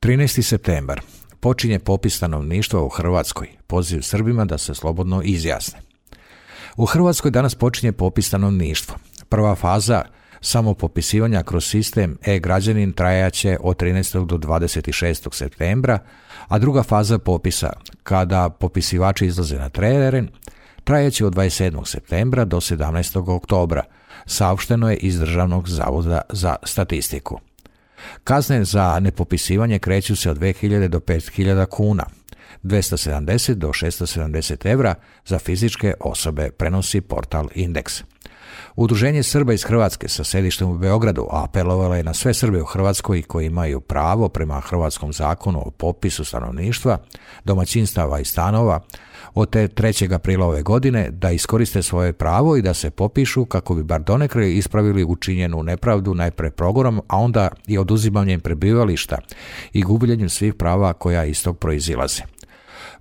13. septembar. Počinje popis stanovništva u Hrvatskoj. Poziv Srbima da se slobodno izjasne. U Hrvatskoj danas počinje popis stanovništva. Prva faza samopopisivanja kroz sistem e-građanin trajaće od 13. do 26. septembra, a druga faza popisa, kada popisivači izlaze na teren, trajaće od 27. septembra do 17. oktobra, saopšteno je iz Državnog zavoda za statistiku. Kazne za nepopisivanje kreću se od 2.000 do 5.000 kuna, 270 do 670 evra za fizičke osobe, prenosi portal Indeks. Udruženje Srba iz Hrvatske sa sedištem u Beogradu apelovalo je na sve Srbe u Hrvatskoj koji imaju pravo prema Hrvatskom zakonu o popisu stanovništva, domaćinstava i stanova od 3. aprila ove godine da iskoriste svoje pravo i da se popišu kako bi bar donekle ispravili učinjenu nepravdu najpre progonom, a onda i oduzimanjem prebivališta i gubljenjem svih prava koja iz tog proizilaze.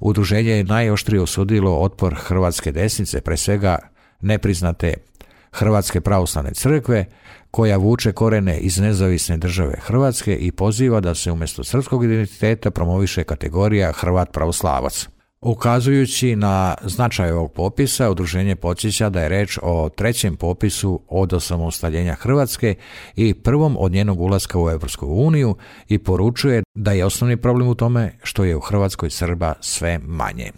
Udruženje je najoštrije osudilo otpor hrvatske desnice, pre svega nepriznate Hrvatske pravoslavne crkve, koja vuče korene iz nezavisne države Hrvatske i poziva da se umjesto srpskog identiteta promoviše kategorija Hrvat pravoslavac. Ukazujući na značaj ovog popisa, udruženje podsjeća da je reč o trećem popisu od osamostaljenja Hrvatske i prvom od njenog ulaska u Europsku uniju i poručuje da je osnovni problem u tome što je u Hrvatskoj Srba sve manje.